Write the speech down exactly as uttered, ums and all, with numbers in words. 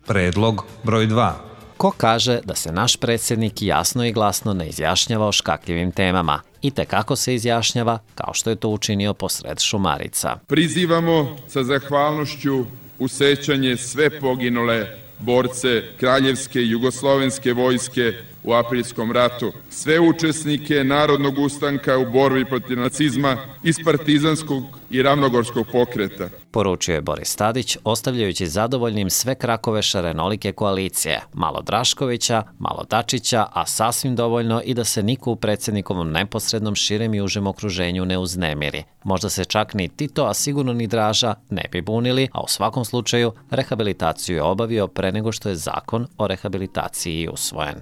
Predlog broj dva. Ko kaže da se naš predsjednik jasno i glasno ne izjašnjava o škakljivim temama i te kako se izjašnjava, kao što je to učinio posred Šumarica. Prizivamo sa zahvalnošću u sećanje sve poginule borce Kraljevske i Jugoslovenske vojske u aprilskom ratu, sve učesnike narodnog ustanka u borbi protiv nacizma iz partizanskog i ravnogorskog pokreta. Poručio je Boris Tadić, ostavljajući zadovoljnim sve krakove šarenolike koalicije, malo Draškovića, malo Dačića, a sasvim dovoljno i da se niko u predsjednikovom neposrednom širem i užem okruženju ne uznemiri. Možda se čak ni Tito, a sigurno ni Draža ne bi bunili, a u svakom slučaju rehabilitaciju je obavio pre nego što je zakon o rehabilitaciji usvojen.